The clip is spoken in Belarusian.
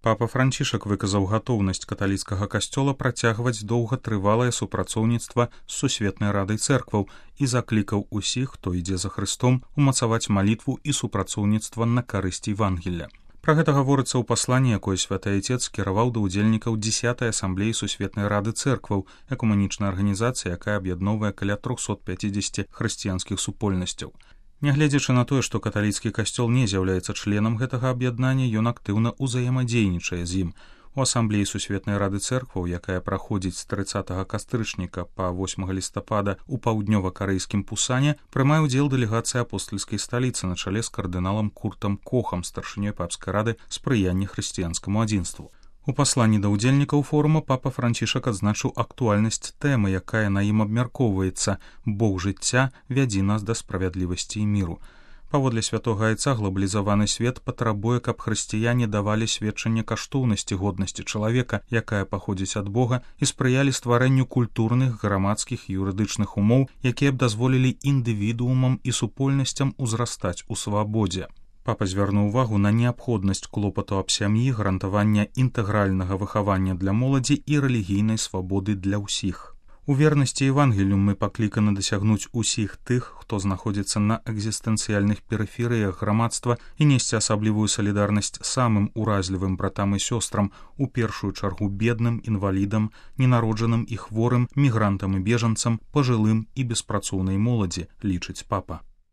Папа Францішак выказаў гатоўнасць каталіцкага касцёла працягваць доўгатрывалае супрацоўніцтва з Сусветнай радай цэркваў і заклікаў усіх, хто ідзе за Хрыстом, умацаваць малітву і супрацоўніцтва на карысць Евангелля. Пра гэта гаворыцца ў пасланні, якое Святы Айцец скіраваў да ўдзельнікаў 10-й асамблеі Сусветнай рады цэркваў, экумэнічная арганізацыя, якая аб'ядноўвае каля 350 хрысціянскіх супольнасцяў. Нягледзячы на тое, што каталіцкі касцёл не з'яўляецца членам гэтага аб'яднання, ён актыўна ўзаемадзейнічае з ім. У асамблеі Сусветнай рады цэркваў, якая праходзіць з 30 кастрычніка па 8 лістапада ў паўднёва-карэйскім Пусане, прымае ўдзел дэлегацыя апостальскай сталіцы на чале з кардыналам Куртам Кохам, старшынёй папскай рады спрыяння хрысціянскаму адзінству. У пасланні да ўдзельнікаў форума папа Францішак адзначыў актуальнасць тэмы, якая на ім абмяркоўваецца «Бог жыцця, вядзі нас да справядлівасці і міру». Паводле святога Айца глобалізаваны свет патрабуе, каб хрысціяне давалі сведчанне каштоўнасці годнасці чалавека, якая паходзіць ад Бога, і спрыялі стварэнню культурных, грамадскіх і юрыдычных умоў, якія б дазволілі індывідуумам і супольнасцям узрастаць у свабодзе. Папа звярнуў увагу на неабходнасць клопату аб сям'і, гарантавання інтэгральнага выхавання для моладзі і рэлігійнай свабоды для ўсіх. У вернасці Евангелію мы пакліканы дасягнуць усіх тых, хто знаходзіцца на экзістэнцыяльных перыферыях грамадства і несці асаблівую салідарнасць самым уразлівым братам і сёстрам, у першую чаргу бедным, інвалідам, ненароджаным і хворым, мігрантам і бежанцам, пажылым і беспрацоўнай моладзі, лічыць папа.